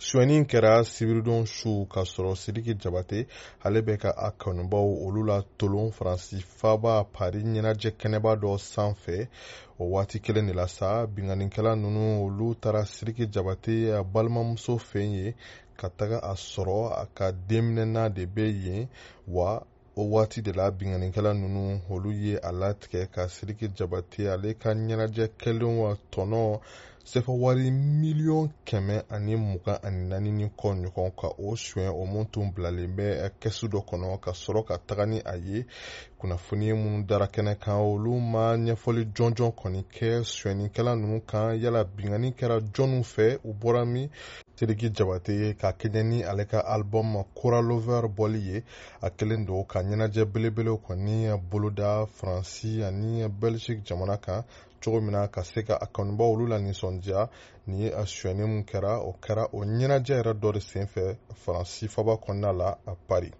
Sonyɛni kɛra sibiridon su k'a sɔrɔ Sidiki Jabate ale bɛ ka a kanubaw olu la tolon Faransi faaba Paris ɲɛnajɛ kɛnɛba dɔ sanfɛ. O waati kelen de la sa, binkannikɛla ninnu olu taara Sidiki Jabate a balimamuso fɛ yen ka taga a sɔrɔ a ka denminɛna de bɛ yen wa. O waati de la binkannikɛla ninnu olu ye a latigɛ ka Sidiki Jabate ale ka ɲɛnajɛ kɛlenw wa tɔnɔ sefa wari miliyɔn 124 ni kɔ ɲɔgɔn ka o suɲɛ, o mun tun bilalen bɛ kɛsu dɔ kɔnɔ, ka sɔrɔ ka taga ni a ye. Kunnafoni minnu dara kɛnɛ kan, olu ma ɲɛfɔli jɔnjɔn kɔni kɛ sonyɛnikɛla ninnu kan. Yala binkanni kɛra jɔnniw fɛ, u bɔra min? Sidiki Jabate, ka kɛɲɛ ni ale ka album Kora Lover bɔli ye, a kɛlen don ka ɲɛnajɛ belebelew kɔni boloda Faransi ani Belgique jamana kan cogo min na ka se ka a kanubaw olu la nisɔndiya. Nin ye a sonyɛni mun kɛra, o kɛra o ɲɛnajɛ yɛrɛ dɔ de senfɛ Faransi faba kɔnɔna la, a Paris.